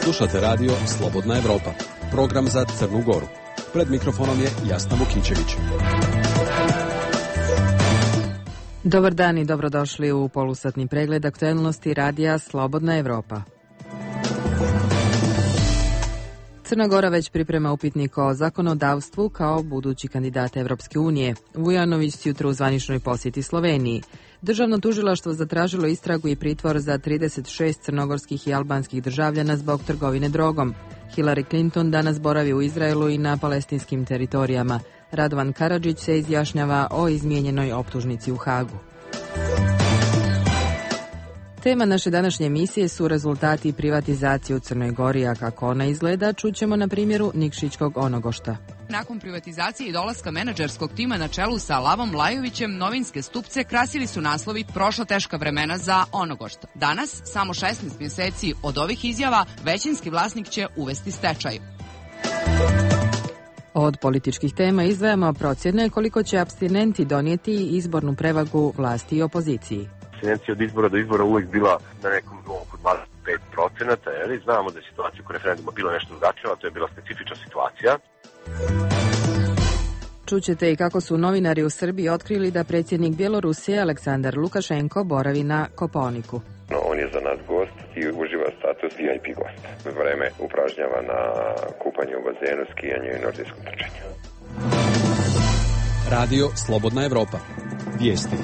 Slušate radio Slobodna Evropa, program za Crnu Goru. Pred mikrofonom je Jasna Vukićević. Dobar dan i dobrodošli u polusatni pregled aktuelnosti radija Slobodna Evropa. Crna Gora već priprema upitnik o zakonodavstvu kao budući kandidat Evropske unije. Vujanović jutro u zvaničnoj posjeti Sloveniji. Državno tužilaštvo zatražilo istragu i pritvor za 36 crnogorskih i albanskih državljana zbog trgovine drogom. Hillary Clinton danas boravi u Izraelu i na palestinskim teritorijama. Radovan Karadžić se izjašnjava o izmijenjenoj optužnici u Hagu. Tema naše današnje emisije su rezultati privatizacije u Crnoj Gori, a kako ona izgleda čućemo na primjeru Nikšićkog Onogošta. Nakon privatizacije i dolaska menadžerskog tima na čelu sa Lavom Lajovićem, novinske stupce krasili su naslovi Prošla teška vremena za Onogošt. Danas, samo 16 mjeseci od ovih izjava, većinski vlasnik će uvesti stečaj. Od političkih tema izdvajamo procjene koliko će apstinenti donijeti izbornu prevagu vlasti i opoziciji. Abstinencija od izbora do izbora uvijek bila na nekom nivou oko 25%, jer znamo da je situacija oko referenduma bila nešto drugačija, to je bila specifična situacija. Čućete i kako su novinari u Srbiji otkrili da predsjednik Bjelorusije Aleksandar Lukašenko boravi na Kopaoniku. On je za nas gost i uživa status VIP gosta. Vreme upražnjava na kupanju u bazenu, skijanju i nordijskom trčanju. Radio Slobodna Evropa. Vijesti.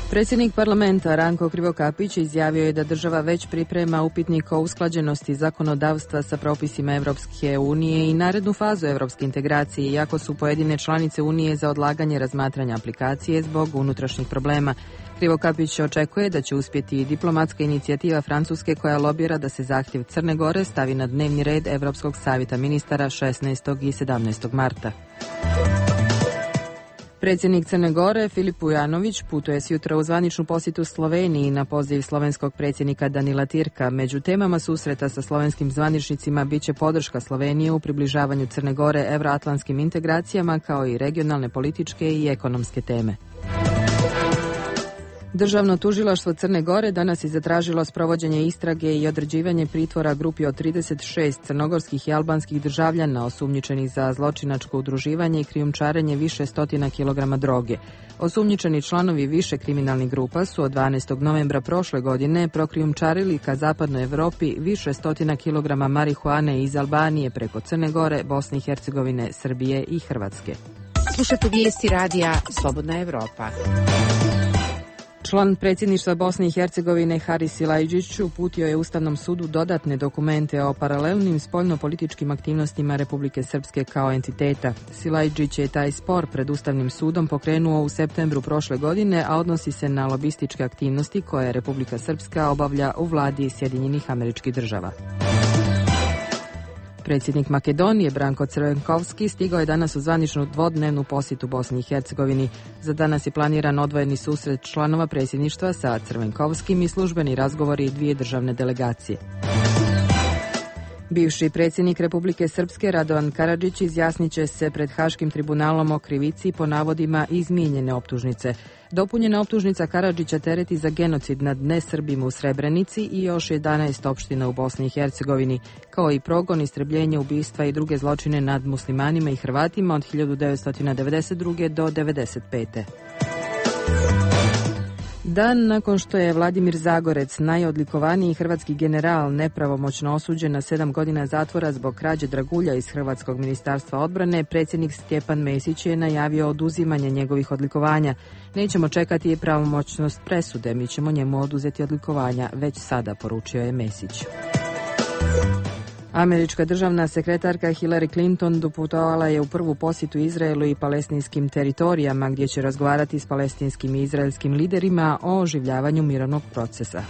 Predsjednik parlamenta Ranko Krivokapić izjavio je da država već priprema upitnik o usklađenosti zakonodavstva sa propisima Evropske unije i narednu fazu evropske integracije, iako su pojedine članice unije za odlaganje razmatranja aplikacije zbog unutrašnjih problema. Krivokapić očekuje da će uspjeti i diplomatska inicijativa Francuske koja lobira da se zahtjev Crne Gore stavi na dnevni red Evropskog savjeta ministara 16. i 17. marta. Predsjednik Crne Gore Filip Vujanović putuje sjutra u zvaničnu posjetu Sloveniji na poziv slovenskog predsjednika Danila Tirka. Među temama susreta sa slovenskim zvaničnicima bit će podrška Slovenije u približavanju Crne Gore evroatlantskim integracijama kao i regionalne političke i ekonomske teme. Državno tužilaštvo Crne Gore danas je zatražilo sprovođenje istrage i određivanje pritvora grupi od 36 crnogorskih i albanskih državljana osumnjičenih za zločinačko udruživanje i krijumčarenje više stotina kilograma droge. Osumnjičeni članovi više kriminalnih grupa su od 12. novembra prošle godine prokrijumčarili ka zapadnoj Evropi više stotina kilograma marihuane iz Albanije preko Crne Gore, Bosne i Hercegovine, Srbije i Hrvatske. Slušajte vijesti radija Slobodna Evropa. Član predsjedništva Bosne i Hercegovine Haris Silajdžić uputio je Ustavnom sudu dodatne dokumente o paralelnim spoljnopolitičkim aktivnostima Republike Srpske kao entiteta. Silajdžić je taj spor pred Ustavnim sudom pokrenuo u septembru prošle godine, a odnosi se na lobističke aktivnosti koje Republika Srpska obavlja u vladi Sjedinjenih Američkih Država. Predsjednik Makedonije Branko Crvenkovski stigao je danas u zvaničnu dvodnevnu posjetu Bosni i Hercegovini. Za danas je planiran odvojeni susret članova predsjedništva sa Crvenkovskim i službeni razgovori dvije državne delegacije. Bivši predsjednik Republike Srpske Radovan Karadžić izjasnit će se pred Haškim tribunalom o krivici po navodima izmijenjene optužnice. Dopunjena optužnica Karadžića tereti za genocid nad nesrbima u Srebrenici i još 11 opština u Bosni i Hercegovini, kao i progon, istrebljenje, ubistva i druge zločine nad muslimanima i Hrvatima od 1992. do 1995. Dan nakon što je Vladimir Zagorec, najodlikovaniji hrvatski general, nepravomoćno osuđen na 7 godina zatvora zbog krađe dragulja iz Hrvatskog ministarstva odbrane, predsjednik Stjepan Mesić je najavio oduzimanje njegovih odlikovanja. Nećemo čekati pravomoćnost presude, mi ćemo njemu oduzeti odlikovanja, već sada, poručio je Mesić. Američka državna sekretarka Hillary Clinton doputovala je u prvu posjetu Izraelu i palestinskim teritorijama gdje će razgovarati s palestinskim i izraelskim liderima o oživljavanju mirovnog procesa.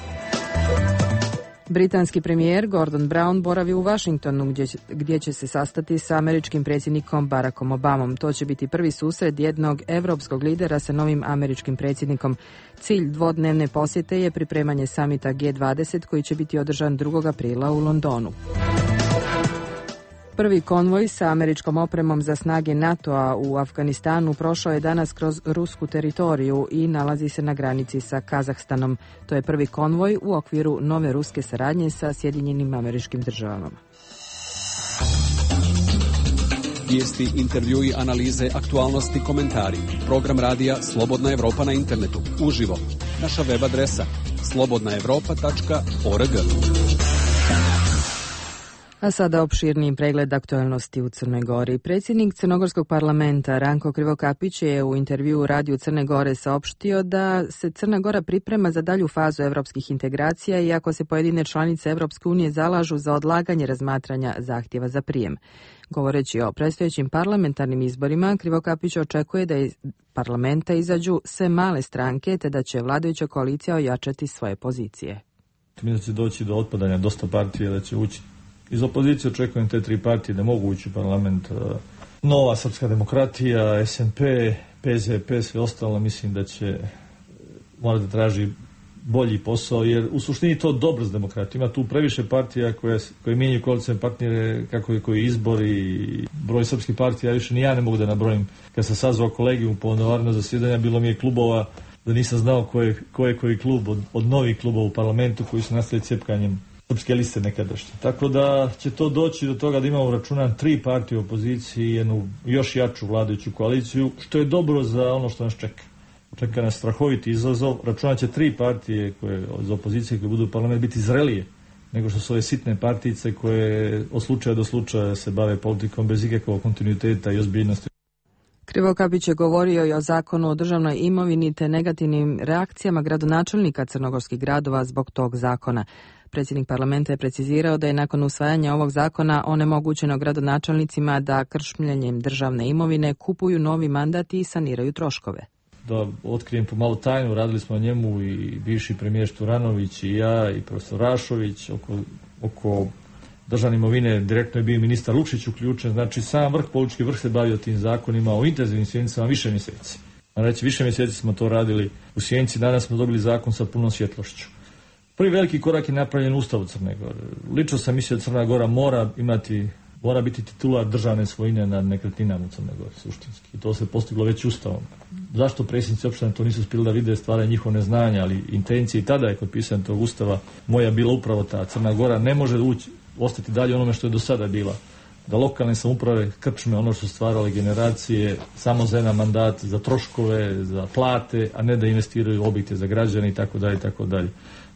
Britanski premijer Gordon Brown boravi u Washingtonu gdje će se sastati sa američkim predsjednikom Barackom Obamom. To će biti prvi susret jednog evropskog lidera sa novim američkim predsjednikom. Cilj dvodnevne posjete je pripremanje samita G20 koji će biti održan 2. aprila u Londonu. Prvi konvoj sa američkom opremom za snage NATO-a u Afganistanu prošao je danas kroz rusku teritoriju i nalazi se na granici sa Kazahstanom. To je prvi konvoj u okviru nove ruske saradnje sa Sjedinjenim Američkim Državama. Vijesti, intervjui, analize, aktualnosti, komentari. Program radija Slobodna Evropa na internetu. Uživo. Naša web adresa slobodnaevropa.org. A sada opširniji pregled aktualnosti u Crnoj Gori. Predsjednik Crnogorskog parlamenta Ranko Krivokapić je u intervjuu u Radiju Crne Gore saopštio da se Crna Gora priprema za dalju fazu evropskih integracija, iako se pojedine članice Evropske unije zalažu za odlaganje razmatranja zahtjeva za prijem. Govoreći o predstojećim parlamentarnim izborima, Krivokapić očekuje da iz parlamenta izađu sve male stranke, te da će vladajuća koalicija ojačati svoje pozicije. Mislim da će doći do otpadanja dosta partije, da će ući. Iz opozicije očekujem te tri partije da mogu ući u parlament. Nova Srpska demokratija, SNP, PZP, sve ostalo, mislim da će morati da traži bolji posao, jer u suštini to dobro s demokratijom. Ima tu previše partija koje mijenjaju koalicijne partnere, koji izbori, broj srpskih partija, više ni ja ne mogu da nabrojim. Kad sam sazvao kolegijum po novarno zasjedanja, bilo mi je klubova da nisam znao ko je koji klub od novih klubova u parlamentu koji su nastali cijepkanjem srpske liste nekadašnje. Tako da će to doći do toga da imamo računan tri partije u opoziciji i jednu još jaču vladajuću koaliciju, što je dobro za ono što nas čeka. Čeka nas strahoviti izazov. Računat će tri partije koje iz opozicije koje budu u parlamentu biti zrelije nego što su ove sitne partijice koje od slučaja do slučaja se bave politikom bez ikakvog kontinuiteta i ozbiljnosti. Krivokapić je govorio i o zakonu o državnoj imovini te negativnim reakcijama gradonačelnika crnogorskih gradova zbog tog zakona. Predsjednik parlamenta je precizirao da je nakon usvajanja ovog zakona onemogućeno gradonačelnicima da kršmljenjem državne imovine kupuju novi mandat i saniraju troškove. Da otkrijem pomalu tajnu, radili smo o njemu i bivši premijer Šturanović i ja i profesor Rašović oko državne imovine. Direktno je bio ministar Lukšić uključen, znači sam politički vrh se bavio tim zakonima o intenzivnim sjednicama više mjeseci. Znači više mjeseci smo to radili u Sjenici, danas smo dobili zakon sa punom svjetlošću. Prvi veliki korak je napravljen u Ustavu Crne Gore. Lično sam mislio da Crna Gora mora biti titular državne svojine nad nekretninama u Crne Gore, suštinski. I to se postiglo već Ustavom. Zašto predsjednici opštine to nisu uspjeli da vide, stvaraju njihovo neznanje, ali intencije i tada je kod pisanja tog Ustava moja bila upravo ta. Crna Gora ne može ostati dalje onome što je do sada bila. Da lokalne samouprave krčme ono što su stvarale generacije samo za jedan mandat, za troškove, za plate, a ne da investiraju u objekte za građane itd.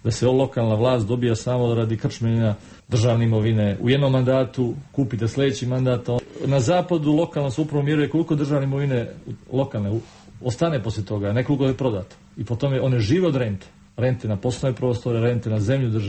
Da se lokalna vlast dobija samo radi krčmenja državne imovine u jednom mandatu, kupite sljedeći mandat. Na zapadu lokalna samouprava mjeruje koliko državne imovine lokalne ostane poslije toga, nekoliko je prodato. I po tome one žive od rente. Rente na poslovne prostore, rente na zemlju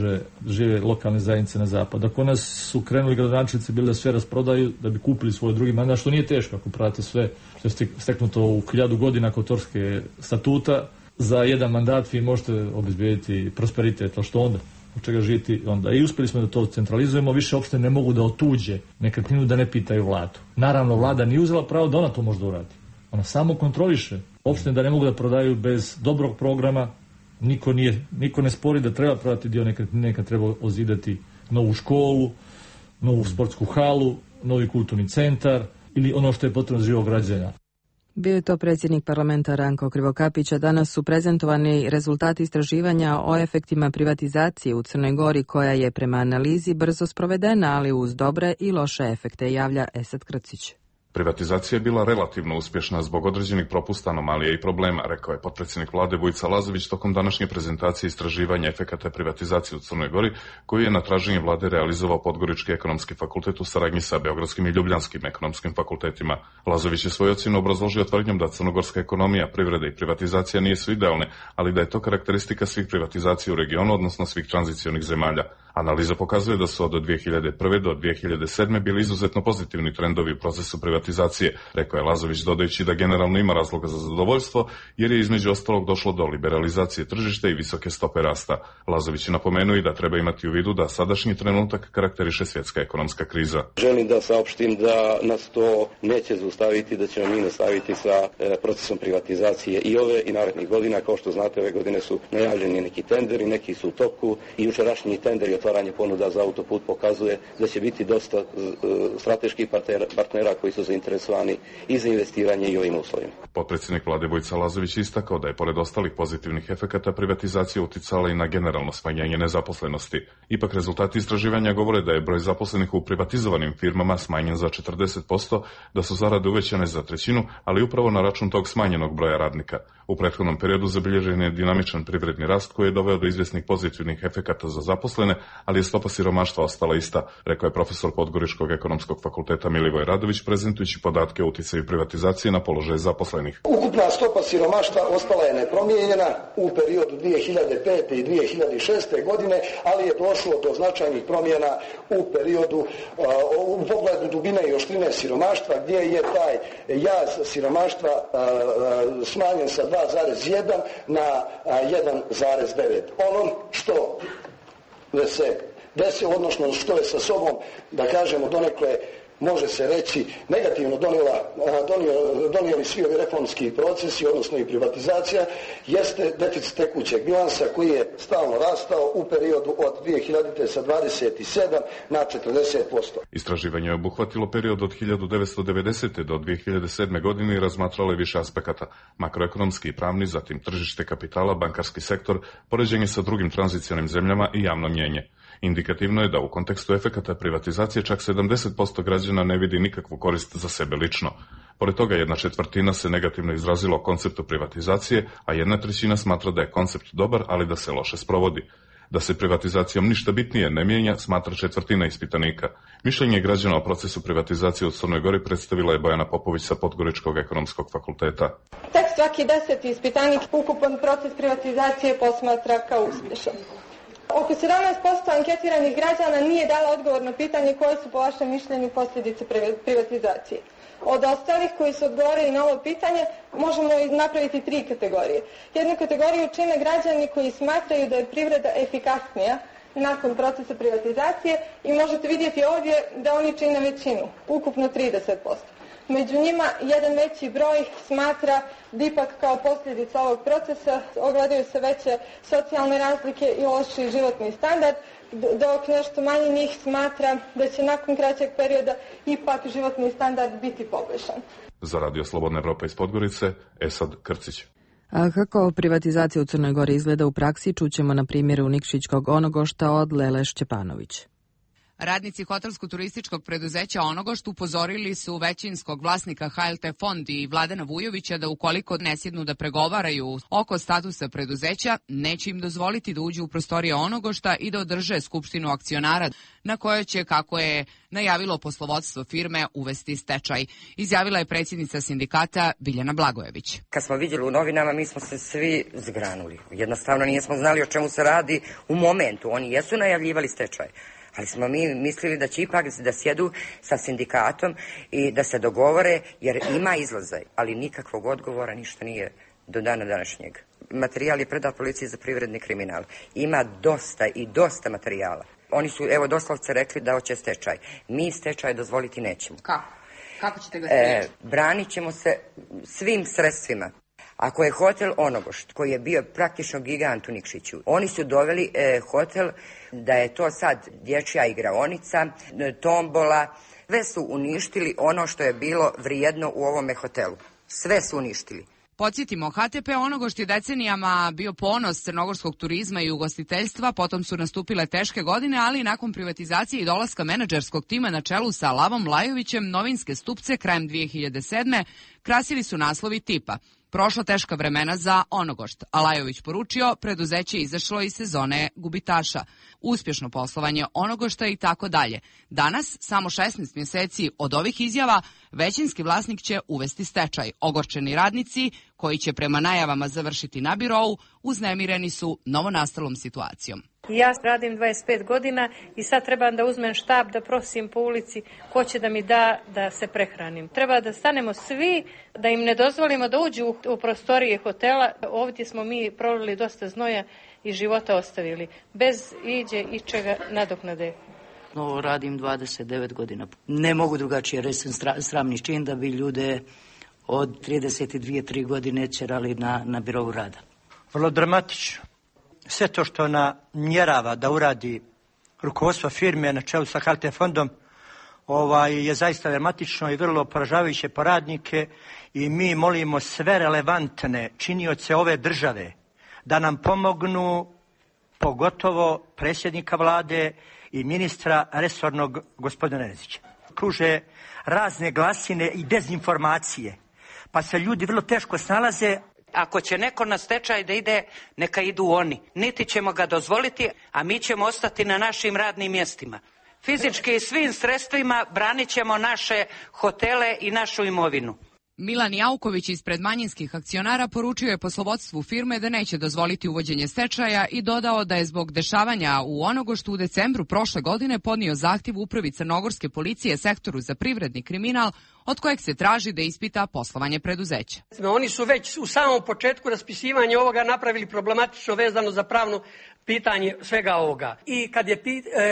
žive lokalne zajednice na zapadu. Ako nas su krenuli gradonačelnici bili da sve rasprodaju, da bi kupili svoj drugi mandat, što nije teško ako pratite sve što je steknuto u 1000 godina kod Torske statuta, za jedan mandat vi možete obezbijediti prosperitet, ali što onda? Od čega živjeti onda? I uspjeli smo da to centralizujemo, više opštine ne mogu da otuđe nekretninu da ne pitaju vladu. Naravno, vlada nije uzela pravo da ona to može da uradi. Ona samo kontroliše opštine da ne mogu da prodaju bez dobrog programa. Niko ne spori da treba prodati dio nekretnine kad treba ozidati novu školu, novu sportsku halu, novi kulturni centar ili ono što je potrebno za živog građana. Bio je to predsjednik parlamenta Ranko Krivokapić, a danas su prezentovani rezultati istraživanja o efektima privatizacije u Crnoj Gori, koja je prema analizi brzo sprovedena, ali uz dobre i loše efekte, javlja Esad Krcić. Privatizacija je bila relativno uspješna zbog određenih propusta, anomalija i problema, rekao je potpredsjednik vlade Vujica Lazović tokom današnje prezentacije istraživanja efekata privatizacije u Crnoj Gori, koju je na traženje vlade realizovao Podgorički ekonomski fakultet u saradnji sa Beogradskim i Ljubljanskim ekonomskim fakultetima. Lazović je svoju ocjenu obrazložio tvrdnjom da crnogorska ekonomija, privreda i privatizacija nisu idealne, ali da je to karakteristika svih privatizacija u regionu, odnosno svih tranzicionih zemalja. Analiza pokazuje da su od 2001. do 2007. bili izuzetno pozitivni trendovi u procesu privatizacije, rekao je Lazović, dodajući da generalno ima razloga za zadovoljstvo, jer je između ostalog došlo do liberalizacije tržišta i visoke stope rasta. Lazović je napomenuo i da treba imati u vidu da sadašnji trenutak karakteriše svjetska ekonomska kriza. Želim da saopštim da nas to neće zaustaviti, da ćemo mi nastaviti sa procesom privatizacije i ove i narednih godina. Kao što znate, ove godine su najavljeni neki tenderi, neki su u toku i jučerašnji tender je otvaranje ponuda za autoput pokazuje da će biti dosta strateških partnera koji su zainteresovani i za investiranje i ovim uslovima. Potpredsjednik vlade Vojica Lazović istakao da je pored ostalih pozitivnih efekata privatizacija uticala i na generalno smanjenje nezaposlenosti. Ipak rezultati istraživanja govore da je broj zaposlenih u privatizovanim firmama smanjen za 40%, da su zarade uvećane za trećinu, ali upravo na račun tog smanjenog broja radnika. U prethodnom periodu zabilježen je dinamičan privredni rast koji je doveo do izvjesnih pozitivnih efekata za zaposlene, ali je stopa siromaštva ostala ista, rekao je profesor Podgoričkog ekonomskog fakulteta Milivoj Radović, prezentujući podatke o uticaju privatizacije na položaj zaposlenih. Ukupna stopa siromaštva ostala je nepromijenjena u periodu 2005. i 2006. godine, ali je došlo do značajnih promjena u periodu u pogledu dubine i oštrine siromaštva, gdje je taj jaz siromaštva smanjen sa 2,1 na 1,9. Ono što se desi, odnosno što je sa sobom, da kažemo donekle, može se reći, negativno donijeli svi ovi reformski procesi, odnosno i privatizacija, jeste deficit tekućeg bilansa koji je stalno rastao u periodu od 2000. sa 27 na 40%. Istraživanje je obuhvatilo period od 1990. do 2007. godine i razmatralo je više aspekata, makroekonomski i pravni, zatim tržište kapitala, bankarski sektor, poređenje sa drugim tranzicionim zemljama i javno mnjenje. Indikativno je da u kontekstu efekata privatizacije čak 70% građana ne vidi nikakvu korist za sebe lično. Pored toga 1/4 se negativno izrazilo o konceptu privatizacije, a 1/3 smatra da je koncept dobar, ali da se loše sprovodi. Da se privatizacijom ništa bitnije ne mijenja, smatra 1/4 ispitanika. Mišljenje građana o procesu privatizacije u Crnoj Gori predstavila je Bojana Popović sa Podgoričkog ekonomskog fakulteta. Tek svaki 10. ispitanik ukupan proces privatizacije posmatra kao uspješan. Oko 17% anketiranih građana nije dala odgovor na pitanje koje su po vašem mišljenju posljedice privatizacije. Od ostalih koji su odgovorili na ovo pitanje možemo napraviti 3 kategorije. Jednu kategoriju čine građani koji smatraju da je privreda efikasnija nakon procesa privatizacije i možete vidjeti ovdje da oni čine većinu, ukupno 30%. Među njima jedan veći broj smatra da ipak kao posljedica ovog procesa ogledaju se veće socijalne razlike i lošiji životni standard, dok nešto manje njih smatra da će nakon kraćeg perioda ipak životni standard biti poboljšan. Za Radio Slobodna Evropa iz Podgorice, Esad Krcić. A kako privatizacija u Crnoj Gori izgleda u praksi, čućemo na primjeru Nikšićkog Onogošta od Lele Šćepanović. Radnici hotelsko-turističkog preduzeća Onogošt upozorili su većinskog vlasnika HLT Fond i Vladana Vujovića da ukoliko ne sjednu da pregovaraju oko statusa preduzeća, neće im dozvoliti da uđu u prostorije Onogošta i da održe skupštinu akcionara, na kojoj će, kako je najavilo poslovodstvo firme, uvesti stečaj. Izjavila je predsjednica sindikata Biljana Blagojević. Kad smo vidjeli u novinama, mi smo se svi zgranuli. Jednostavno nismo znali o čemu se radi u momentu. Oni jesu najavljivali stečaj. Ali smo mi mislili da će ipak da sjedu sa sindikatom i da se dogovore, jer ima izlaza, ali nikakvog odgovora, ništa nije do dana današnjeg. Materijal je predat policiji za privredni kriminal. Ima dosta materijala. Oni su, evo, doslovce rekli da hoće stečaj. Mi stečaj dozvoliti nećemo. Kako ćete ga spriječiti? Branit ćemo se svim sredstvima. Ako je hotel Onogošt, koji je bio praktično gigant u Nikšiću, oni su doveli hotel da je to sad dječja igraonica, tombola, sve su uništili ono što je bilo vrijedno u ovome hotelu. Sve su uništili. Podsjetimo, HTP Onogošt je decenijama bio ponos crnogorskog turizma i ugostiteljstva, potom su nastupile teške godine, ali nakon privatizacije i dolaska menadžerskog tima na čelu sa Lavom Lajovićem, novinske stupce krajem 2007. krasili su naslovi tipa "Prošla teška vremena za Onogošt", a Lajović poručio preduzeće izašlo iz sezone gubitaša, uspješno poslovanje Onogošta i tako dalje. Danas, samo 16 mjeseci od ovih izjava, većinski vlasnik će uvesti stečaj. Ogorčeni radnici, koji će prema najavama završiti na birou, uznemireni su novonastalom situacijom. Ja radim 25 godina i sad trebam da uzmem štab, da prosim po ulici ko će da mi da se prehranim. Treba da stanemo svi, da im ne dozvolimo da uđu u prostorije hotela. Ovdje smo mi prolili dosta znoja i života ostavili, bez iđe i čega nadoknade. Radim 29 godina. Ne mogu drugačije reći, sramni čin da bi ljude od 32-3 godine ćerali na birovu rada. Vrlo dramatično. Sve to što ona mjerava da uradi rukovodstva firme na čelu sa HT fondom je zaista dramatično i vrlo poražavajuće po radnike i mi molimo sve relevantne činioce ove države da nam pomognu, pogotovo predsjednika vlade i ministra resornog gospodina Nezića. Kruže razne glasine i dezinformacije, pa se ljudi vrlo teško snalaze. Ako će neko na stečaj da ide, neka idu oni. Niti ćemo ga dozvoliti, a mi ćemo ostati na našim radnim mjestima. Fizički i svim sredstvima branit ćemo naše hotele i našu imovinu. Milan Jauković ispred manjinskih akcionara poručio je poslovodstvu firme da neće dozvoliti uvođenje stečaja i dodao da je zbog dešavanja u Onogoštu u decembru prošle godine podnio zahtjev upravi crnogorske policije sektoru za privredni kriminal od kojeg se traži da ispita poslovanje preduzeća. Oni su već u samom početku raspisivanja ovoga napravili problematično vezano za pravno pitanje svega ovoga. I kad je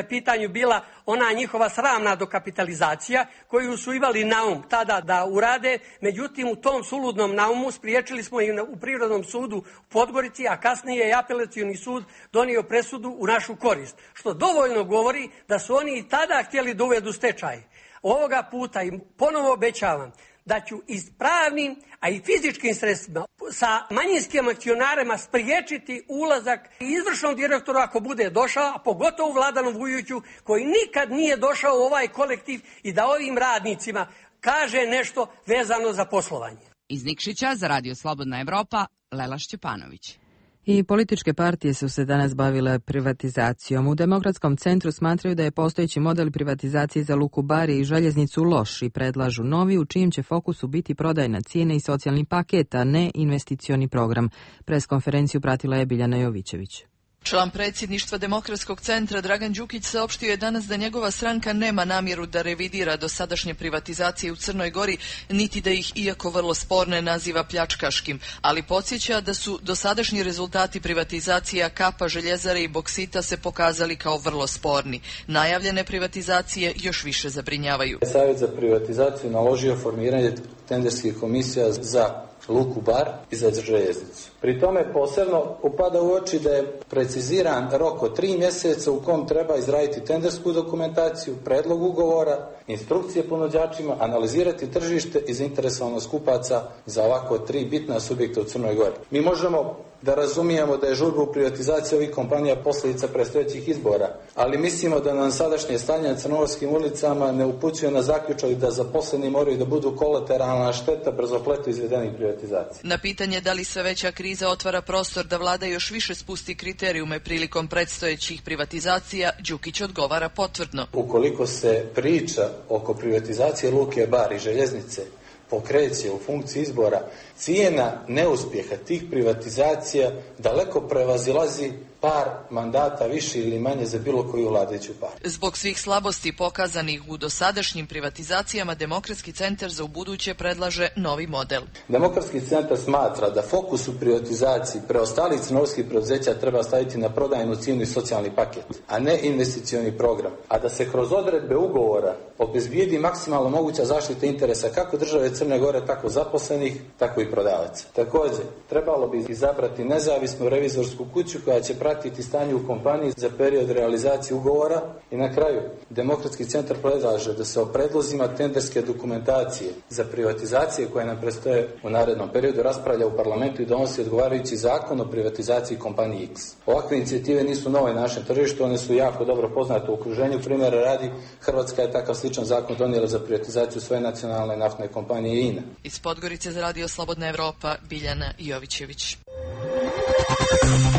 pitanju bila ona njihova sramna dokapitalizacija koju su imali naum tada da urade, međutim u tom suludnom naumu spriječili smo i u Privrednom sudu u Podgorici, a kasnije je apelacioni sud donio presudu u našu korist. Što dovoljno govori da su oni i tada htjeli da uvedu stečaj. Ovoga puta im ponovo obećavam da ću i pravnim, a i fizičkim sredstvima sa manjinskim akcionarima spriječiti ulazak izvršnog direktora ako bude došao, a pogotovo Vladanu Vujoviću koji nikad nije došao u ovaj kolektiv i da ovim radnicima kaže nešto vezano za poslovanje. Iz Nikšića za Radio Slobodna Evropa, Lela Šćepanović. I političke partije su se danas bavile privatizacijom. U Demokratskom centru smatraju da je postojeći model privatizacije za Luku Bar i željeznicu loš i predlažu novi u čijem će fokusu biti prodajna cijena i socijalni paket, a ne investicioni program. Preskonferenciju pratila je Biljana Jovićević. Član predsjedništva Demokratskog centra Dragan Đukić saopštio je danas da njegova stranka nema namjeru da revidira dosadašnje privatizacije u Crnoj Gori, niti da ih, iako vrlo sporne, naziva pljačkaškim, ali podsjeća da su dosadašnji rezultati privatizacija Kapa, Željezare i Boksita se pokazali kao vrlo sporni. Najavljene privatizacije još više zabrinjavaju. Savjet za privatizaciju naložio formiranje tenderskih komisija za Luku Bar i za željeznicu. Pri tome posebno upada u oči da je preciziran rok od 3 mjeseca u kom treba izraditi tendersku dokumentaciju, predlog ugovora, instrukcije ponuđačima, analizirati tržište i zainteresovanost kupaca za ovako 3 bitna subjekta u Crnoj Gori. Mi možemo da razumijemo da je žurba u privatizaciji ovih kompanija posljedica predstojećih izbora, ali mislimo da nam sadašnje stanje na crnogorskim ulicama ne upućuje na zaključak da zaposleni moraju da budu kolateralna šteta brzopleto izvedenih privatizacija. Na pitanje da li sve veća kriza otvara prostor da vlada još više spusti kriterijume prilikom predstojećih privatizacija, Đukić odgovara potvrdno. Ukoliko se priča oko privatizacije Luke Bar i željeznice pokreće u funkciji izbora, cijena neuspjeha tih privatizacija daleko prevazilazi par mandata više ili manje za bilo koju vladajuću partiju. Zbog svih slabosti pokazanih u dosadašnjim privatizacijama, Demokratski centar za ubuduće predlaže novi model. Demokratski centar smatra da fokus u privatizaciji preostalih crnogorskih preduzeća treba staviti na prodajnu cijenu i socijalni paket, a ne investicioni program, a da se kroz odredbe ugovora obezbijedi maksimalno moguća zaštita interesa kako države Crne Gore, tako zaposlenih, tako i prodavaca. Također, trebalo bi izabrati nezavisnu revizorsku kuću koja će pratiti stanje u kompaniji za period realizacije ugovora i na kraju Demokratski centar predlaže da se o predlozima tenderske dokumentacije za privatizacije koje nam predstoje u narednom periodu raspravlja u parlamentu i donosi odgovarajući zakon o privatizaciji kompanije X. Ovakve inicijative nisu nove na našem tržištu, one su jako dobro poznate u okruženju. Primjera radi, Hrvatska je takav sličan zakon donijela za privatizaciju svoje nacionalne naftne kompanije INA. Iz Podgorice za Radio Slobodna Evropa, Biljana Jovićević.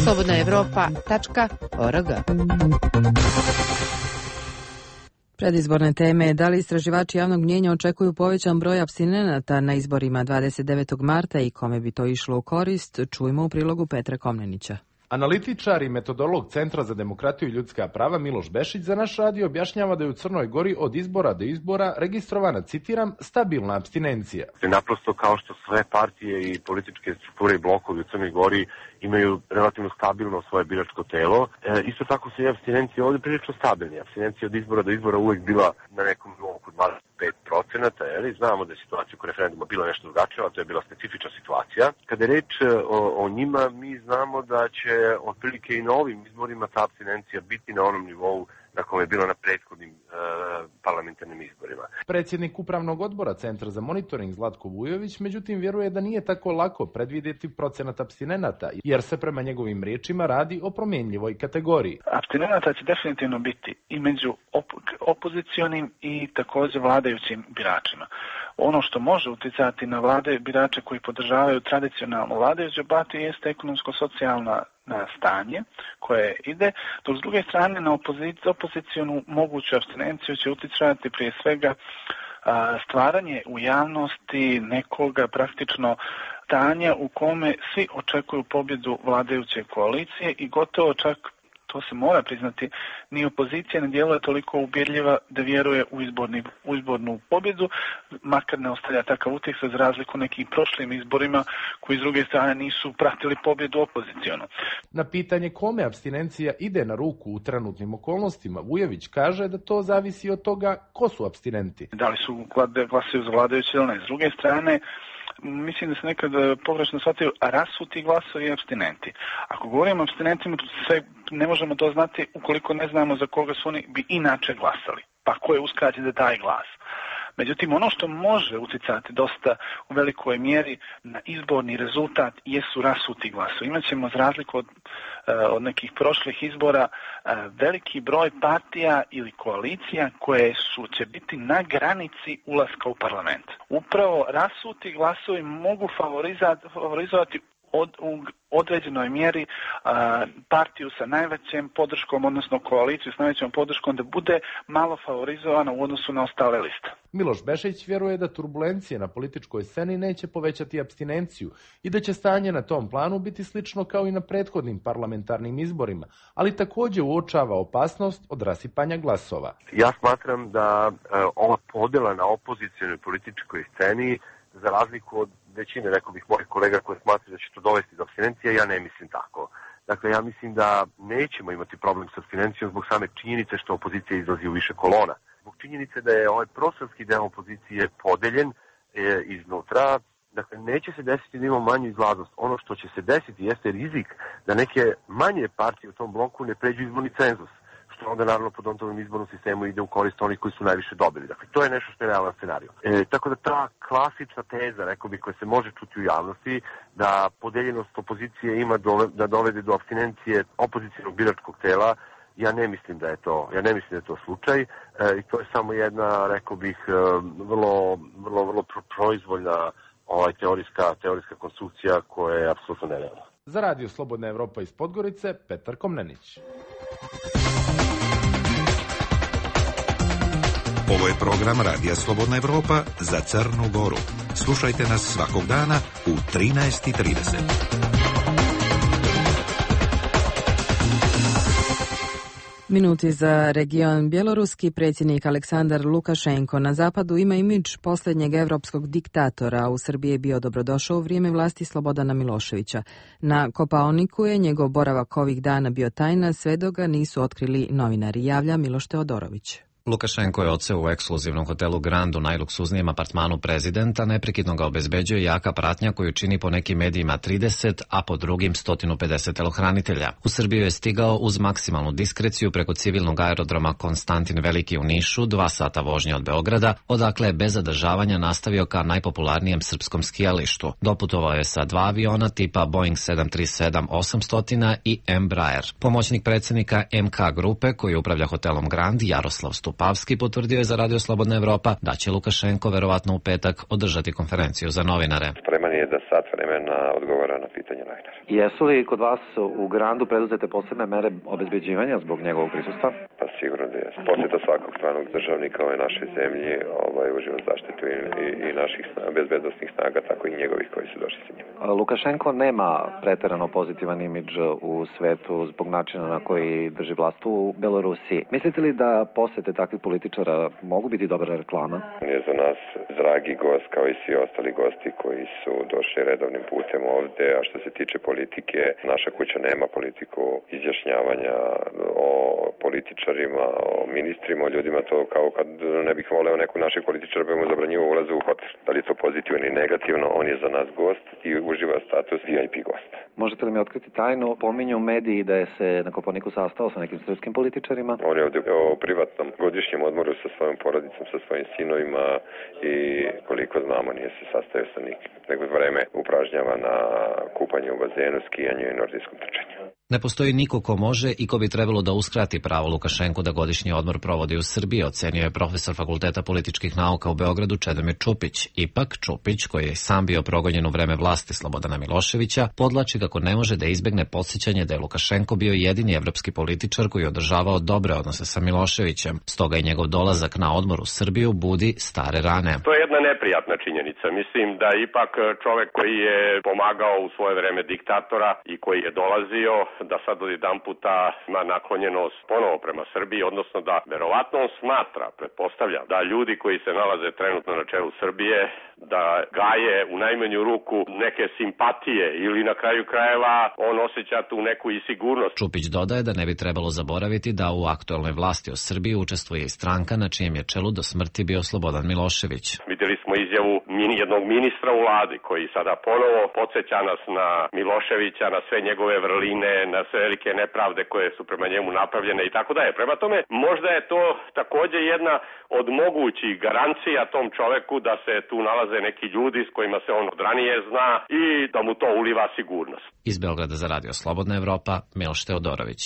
slobodnaevropa.org. Predizborne teme, da li istraživači javnog mnijenja očekuju povećan broj apstinenata na izborima 29. marta i kome bi to išlo u korist, čujmo u prilogu Petra Komnenića. Analitičar i metodolog Centra za demokratiju i ljudska prava Miloš Bešić za naš radio objašnjava da je u Crnoj Gori od izbora do izbora registrovana, citiram, stabilna apstinencija. Naprosto kao što sve partije i političke strukture i blokovi u Crnoj Gori imaju relativno stabilno svoje biračko telo, isto tako se i apstinencija ovdje prilično stabilni. Apstinencija od izbora do izbora uvijek bila na nekom nivou kod 25%, znamo da je situacija oko referenduma bila nešto drugačija, a to je bila specifična situacija. Kada je reč o njima, mi znamo da će otprilike i na ovim izborima ta apstinencija biti na onom nivou na kome je bilo na prethodnim parlamentarnim izborima. Predsjednik Upravnog odbora Centra za monitoring Zlatko Vujović, međutim, vjeruje da nije tako lako predvidjeti procenat apstinenata, jer se prema njegovim riječima radi o promjenjivoj kategoriji. Apstinenata će definitivno biti i među opozicionim i također vladajućim biračima. Ono što može utjecati na vlade birače koji podržavaju tradicionalnu vladajuću partiju jeste ekonomsko-socijalna stanje koje ide, dok s druge strane na opozicijonu moguću apstinenciju će utjecati prije svega stvaranje u javnosti nekoga praktično stanja u kome svi očekuju pobjedu vladajuće koalicije i gotovo čak, to se mora priznati, ni opozicija ne djeluje toliko uvjerljiva da vjeruje u izbornu pobjedu, makar ne ostavlja takav utjecaj za razliku nekim prošlim izborima koji s druge strane nisu pratili pobjedu opozicijonu. Na pitanje kome apstinencija ide na ruku u trenutnim okolnostima, Vujović kaže da to zavisi od toga ko su apstinenti. Da li su glasaju za vladajuće ili ne. S druge strane, mislim da se nekad pogrešno shvataju rasuti glasovi i apstinenti. Ako govorimo o apstinentima, ne možemo to znati ukoliko ne znamo za koga su oni bi inače glasali. Pa ko je uskraćen za taj glas. Međutim, ono što može utjecati dosta u velikoj mjeri na izborni rezultat jesu rasuti glasovi. Imaćemo za razliku od nekih prošlih izbora veliki broj partija ili koalicija koje će biti na granici ulaska u parlament. Upravo rasuti glasovi mogu favorizovati u određenoj mjeri partiju sa najvećom podrškom, odnosno koaliciju s najvećom podrškom, da bude malo favorizovana u odnosu na ostale liste. Miloš Bešić vjeruje da turbulencije na političkoj sceni neće povećati apstinenciju i da će stanje na tom planu biti slično kao i na prethodnim parlamentarnim izborima, ali također uočava opasnost od rasipanja glasova. Ja smatram da ova podjela na opozicionoj političkoj sceni, za razliku od većine, rekao bih, mojih kolega koji smatraju da će to dovesti do apstinencije, ja ne mislim tako. Dakle, ja mislim da nećemo imati problem s apstinencijom zbog same činjenice što opozicija izlazi u više kolona. Zbog činjenice da je ovaj prostorski deo opozicije podeljen iznutra, dakle, neće se desiti da imamo manju izlaznost. Ono što će se desiti jeste rizik da neke manje partije u tom bloku ne pređu izborni cenzus, što onda naravno po Dontovom izbornom sistemu ide u korist onih koji su najviše dobili. Dakle, to je nešto što je realan scenariju. Tako da ta klasična teza, rekao bih, koja se može čuti u javnosti, da podeljenost opozicije ima da dovede do apstinencije opozicionog biračkog tela, ja ne mislim da je to slučaj i to je samo jedna, rekao bih, vrlo proizvoljna teorijska konstrukcija koja je apsolutno nerealna. Za Radio Slobodna Evropa iz Podgorice, Petar Komnenić. Ovo je program Radija Slobodna Evropa za Crnu Goru. Slušajte nas svakog dana u 13:30. Minuti za region. Bjeloruski predsjednik Aleksandar Lukašenko na zapadu ima imidž posljednjeg evropskog diktatora. U Srbiji je bio dobrodošao u vrijeme vlasti Slobodana Miloševića. Na Kopaoniku je njegov boravak ovih dana bio tajna, sve dok ga nisu otkrili novinari, javlja Miloš Teodorović. Lukašenko je odseo u ekskluzivnom hotelu Grand u najluksuznijem apartmanu prezidenta, neprekidno ga obezbeđuje jaka pratnja koju čini po nekim medijima 30, a po drugim 150 telohranitelja. U Srbiju je stigao uz maksimalnu diskreciju preko civilnog aerodroma Konstantin Veliki u Nišu, 2 sata vožnje od Beograda, odakle je bez zadržavanja nastavio ka najpopularnijem srpskom skijalištu. Doputovao je sa 2 aviona tipa Boeing 737-800 i Embraer. Pomoćnik predsjednika MK grupe koji upravlja hotelom Grand, Jaroslav Stupavski, potvrdio je za Radio Slobodna Evropa da će Lukašenko verovatno u petak održati konferenciju za novinare. Spreman je da sat vremena odgovara na pitanje novinara. Jesu li kod vas u Grandu preduzete posebne mere obezbeđivanja zbog njegovog prisustva? Pa sigurno da je. Posjeta svakog stranog državnika ove naše zemlje uživa zaštitu i naših bezbednosnih snaga, tako i njegovih koji su došli sa njim. Lukašenko nema preterano pozitivan imidž u svetu zbog načina na koji drži vlast u Belorusiji. Mislite li da posjete takvih političara mogu biti dobra reklama? On je za nas dragi gost kao i svi ostali gosti koji su došli redovnim putem ovde, a što se tiče politike, naša kuća nema politiku izjašnjavanja o političarima, o ministrima, o ljudima, to kao kad ne bih voleo neku naših političara pa mu zabranjivo ulaze u hotel. Da li je to pozitivno ili negativno, on je za nas gost i uživa status VIP gosta. Možete li mi otkriti tajnu? Pominju mediji da je se na Kopaoniku sastao sa nekim srpskim političarima. On je ovdje o privatnom godišnjem odmoru sa svojom porodicom, sa svojim sinovima i koliko znamo nije se sastajao sa nikim. Nego vreme upražnjava na kupanju u bazenu, skijanju i nordijskom trčanju. Ne postoji niko ko može i ko bi trebalo da uskrati pravo Lukašenku da godišnji odmor provodi u Srbiji, ocenio je profesor Fakulteta političkih nauka u Beogradu Čedomir Čupić. Ipak, Čupić, koji je sam bio progonjen u vreme vlasti Slobodana Miloševića, podlači kako ne može da izbegne podsjećanje da je Lukašenko bio jedini evropski političar koji je održavao dobre odnose sa Miloševićem. Stoga i njegov dolazak na odmor u Srbiju budi stare rane. To je jedna neprijatna činjenica. Mislim da ipak čovek koji je pomagao u svoje vreme diktatora i koji je dolazio, da sad odjedan puta ima naklonjenost ponovo prema Srbiji, odnosno da verovatno on smatra, pretpostavljam, da ljudi koji se nalaze trenutno na čelu Srbije, da gaje u najmanju ruku neke simpatije ili na kraju krajeva on osjeća tu neku i sigurnost. Čupić dodaje da ne bi trebalo zaboraviti da u aktuelnoj vlasti u Srbiji učestvuje i stranka na čijem je čelu do smrti bio Slobodan Milošević. Vidjeli smo izjavu jednog ministra u vladi koji sada ponovo podsjeća nas na Miloševića, na sve njegove vrline, na sve velike nepravde koje su prema njemu napravljene i tako dalje. Prema tome, možda je to također jedna od mogućih garancija tom čoveku da se tu nalaze neki ljudi s kojima se on od ranije zna i da mu to uliva sigurnost. Iz Beograda za Radio Slobodna Evropa, Miloš Teodorović.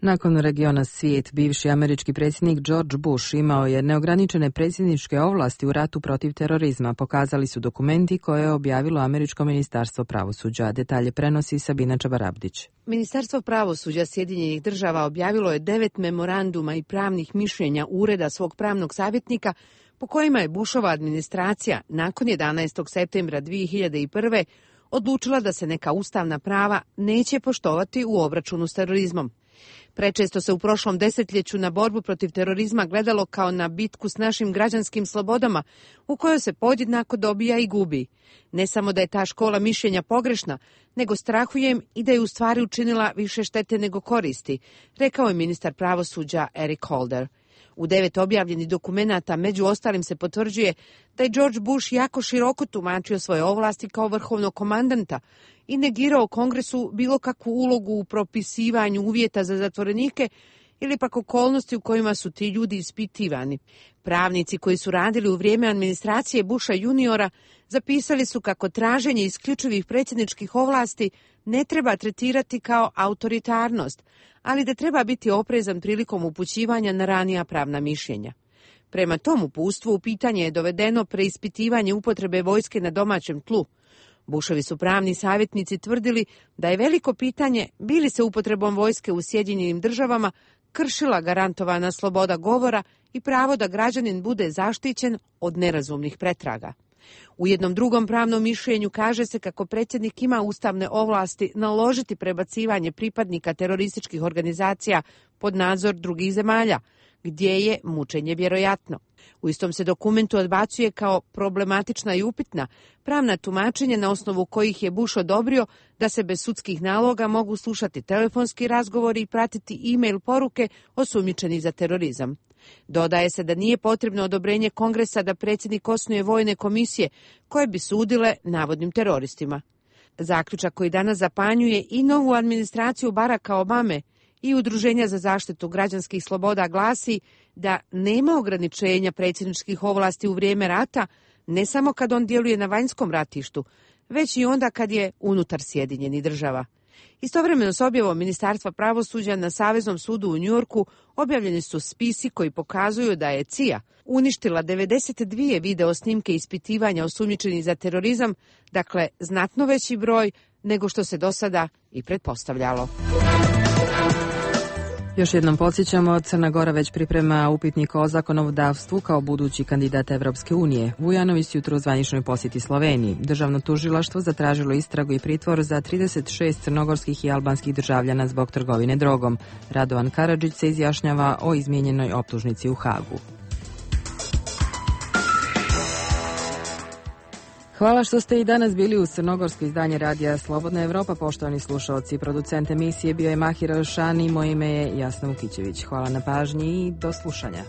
Nakon regiona Svijet, bivši američki predsjednik George Bush imao je neograničene predsjedničke ovlasti u ratu protiv terorizma, pokazali su dokumenti koje je objavilo Američko ministarstvo pravosuđa. Detalje prenosi Sabina Čabarabdić. Ministarstvo pravosuđa Sjedinjenih država objavilo je 9 memoranduma i pravnih mišljenja ureda svog pravnog savjetnika po kojima je Bushova administracija nakon 11. septembra 2001. odlučila da se neka ustavna prava neće poštovati u obračunu s terorizmom. Prečesto se u prošlom desetljeću na borbu protiv terorizma gledalo kao na bitku s našim građanskim slobodama, u kojoj se podjednako dobija i gubi. Ne samo da je ta škola mišljenja pogrešna, nego strahujem i da je u stvari učinila više štete nego koristi, rekao je ministar pravosuđa Eric Holder. U 9 objavljenih dokumenata među ostalim se potvrđuje da je George Bush jako široko tumačio svoje ovlasti kao vrhovnog komandanta i negirao Kongresu bilo kakvu ulogu u propisivanju uvjeta za zatvorenike ili pak okolnosti u kojima su ti ljudi ispitivani. Pravnici koji su radili u vrijeme administracije Busha juniora zapisali su kako traženje isključivih predsjedničkih ovlasti ne treba tretirati kao autoritarnost, ali da treba biti oprezan prilikom upućivanja na ranija pravna mišljenja. Prema tom uputstvu u pitanje je dovedeno preispitivanje upotrebe vojske na domaćem tlu. Bushovi su pravni savjetnici tvrdili da je veliko pitanje bi li se upotrebom vojske u Sjedinjenim državama kršila garantovana sloboda govora i pravo da građanin bude zaštićen od nerazumnih pretraga. U jednom drugom pravnom mišljenju kaže se kako predsjednik ima ustavne ovlasti naložiti prebacivanje pripadnika terorističkih organizacija pod nadzor drugih zemalja, gdje je mučenje vjerojatno. U istom se dokumentu odbacuje kao problematična i upitna pravna tumačenja na osnovu kojih je Bush odobrio da se bez sudskih naloga mogu slušati telefonski razgovori i pratiti e-mail poruke osumnjičenih za terorizam. Dodaje se da nije potrebno odobrenje Kongresa da predsjednik osnuje vojne komisije koje bi sudile navodnim teroristima. Zaključak koji danas zapanjuje i novu administraciju Baracka Obame i Udruženja za zaštitu građanskih sloboda glasi da nema ograničenja predsjedničkih ovlasti u vrijeme rata, ne samo kad on djeluje na vanjskom ratištu, već i onda kad je unutar Sjedinjenih država. Istovremeno s objavom Ministarstva pravosuđa na Saveznom sudu u Njujorku objavljeni su spisi koji pokazuju da je CIA uništila 92 video snimke ispitivanja osumnjičenih za terorizam, dakle znatno veći broj nego što se do sada i pretpostavljalo. Još jednom podsjećamo, Crna Gora već priprema upitnik o zakonodavstvu kao budući kandidat Evropske unije. Vujanović jutro u zvaničnoj posjeti Sloveniji. Državno tužilaštvo zatražilo istragu i pritvor za 36 crnogorskih i albanskih državljana zbog trgovine drogom. Radovan Karadžić se izjašnjava o izmijenjenoj optužnici u Hagu. Hvala što ste i danas bili uz crnogorsko izdanje radija Slobodna Evropa, poštovani slušalci. Producent emisije bio je Mahir Alšani, moje ime je Jasna Vukićević. Hvala na pažnji i do slušanja.